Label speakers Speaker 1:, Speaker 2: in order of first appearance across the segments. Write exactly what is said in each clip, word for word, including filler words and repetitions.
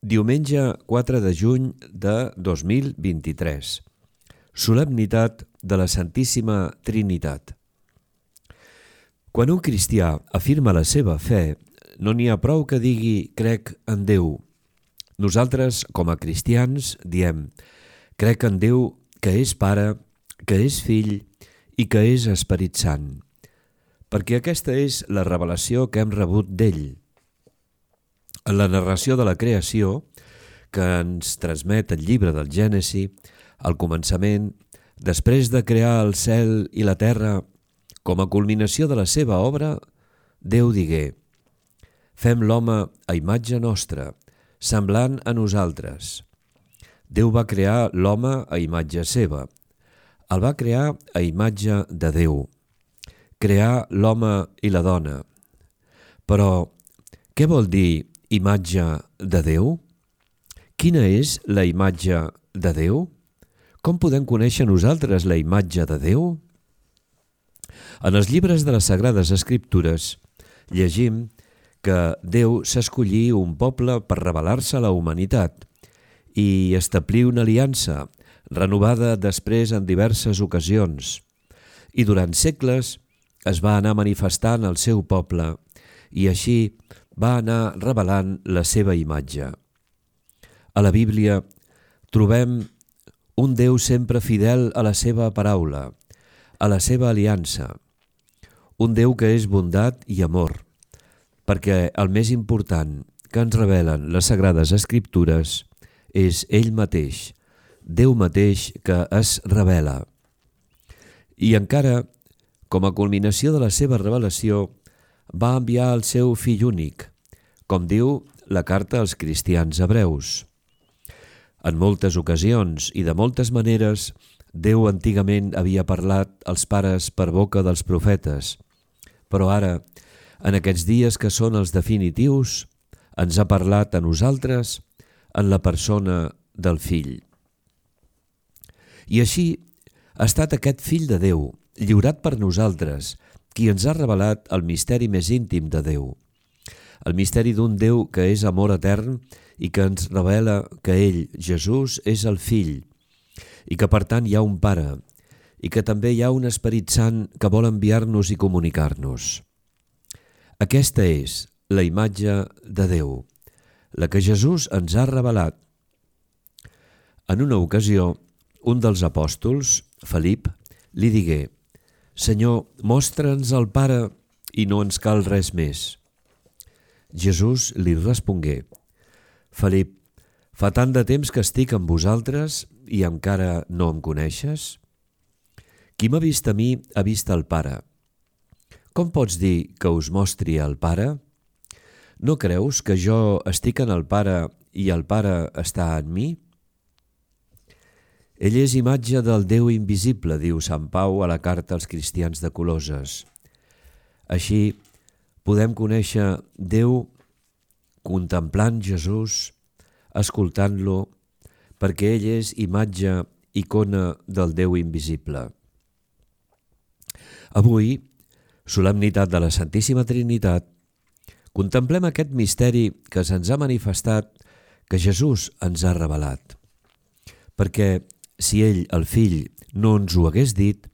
Speaker 1: Diumenge quatre de juny de dos mil vint-i-tres. Solemnitat de la Santíssima Trinitat. Quan un cristià afirma la seva fe, no n'hi ha prou que digui «crec en Déu». Nosaltres, com a cristians, diem «crec en Déu que és Pare, que és Fill i que és Esperit Sant», perquè aquesta és la revelació que hem rebut d'ell. En la narració de la creació, que ens transmet el llibre del Gènesi, al començament, després de crear el cel i la terra, com a culminació de la seva obra, Déu digué: «Fem l'home a imatge nostra, semblant a nosaltres». Déu va crear l'home a imatge seva. El va crear a imatge de Déu. Crear l'home i la dona. Però què vol dir imatge de Déu? Quina és la imatge de Déu? Com podem conèixer nosaltres la imatge de Déu? En els llibres de les Sagrades Escriptures llegim que Déu s'escollí un poble per revelar-se a la humanitat i establir una aliança renovada després en diverses ocasions. I durant segles es va anar manifestant el seu poble i així va anar revelant la seva imatge. A la Bíblia trobem un Déu sempre fidel a la seva paraula, a la seva aliança, un Déu que és bondat i amor, perquè el més important que ens revelen les Sagrades Escriptures és ell mateix, Déu mateix que es revela. I encara, com a culminació de la seva revelació, va enviar el seu fill únic, com diu la carta als cristians hebreus. En moltes ocasions i de moltes maneres, Déu antigament havia parlat als pares per boca dels profetes, però ara, en aquests dies que són els definitius, ens ha parlat a nosaltres en la persona del Fill. I així ha estat aquest Fill de Déu, lliurat per nosaltres, qui ens ha revelat el misteri més íntim de Déu. El misteri d'un Déu que és amor etern i que ens revela que ell, Jesús, és el Fill i que per tant hi ha un Pare i que també hi ha un Esperit Sant que vol enviar-nos i comunicar-nos. Aquesta és la imatge de Déu, la que Jesús ens ha revelat. En una ocasió, un dels apòstols, Felip, li digué: «Senyor, mostra'ns el Pare i no ens cal res més». Jesús li respongué: «Felip, fa tant de temps que estic amb vosaltres i encara no em coneixes? Qui m'ha vist a mi ha vist el Pare. Com pots dir que us mostri el Pare? No creus que jo estic en el Pare i el Pare està en mi? Ell és imatge del Déu invisible», diu Sant Pau a la carta als cristians de Colosses. Així podem conèixer Déu contemplant Jesús, escoltant-lo, perquè ell és imatge, icona del Déu invisible. Avui, solemnitat de la Santíssima Trinitat, contemplem aquest misteri que se'ns ha manifestat, que Jesús ens ha revelat. Perquè si ell, el Fill, no ens ho hagués dit,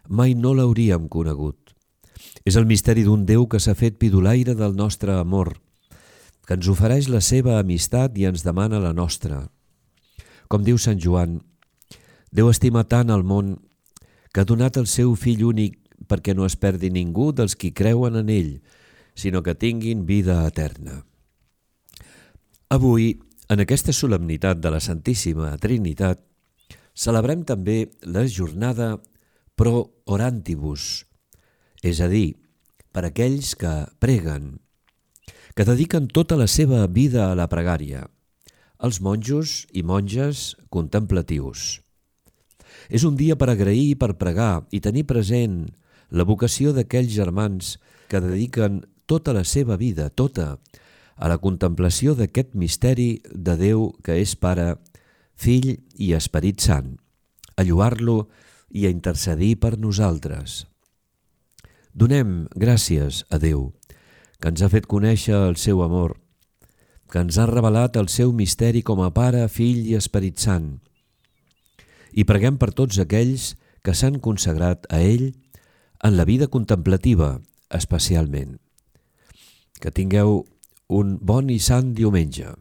Speaker 1: mai no l'hauríem conegut. És el misteri d'un Déu que s'ha fet pidolaire del nostre amor, que ens ofereix la seva amistat i ens demana la nostra. Com diu Sant Joan, Déu estima tant el món que ha donat el seu Fill únic perquè no es perdi ningú dels qui creuen en ell, sinó que tinguin vida eterna. Avui, en aquesta solemnitat de la Santíssima Trinitat, celebrem també la jornada Pro Orantibus, és a dir, per aquells que preguen, que dediquen tota la seva vida a la pregària, els monjos i monges contemplatius. És un dia per agrair i per pregar i tenir present la vocació d'aquells germans que dediquen tota la seva vida, tota, a la contemplació d'aquest misteri de Déu que és Pare, Fill i Esperit Sant, a lloar-lo i a intercedir per nosaltres. Donem gràcies a Déu, que ens ha fet conèixer el seu amor, que ens ha revelat el seu misteri com a Pare, Fill i Esperit Sant. I preguem per tots aquells que s'han consagrat a ell en la vida contemplativa, especialment. Que tingueu un bon i sant diumenge.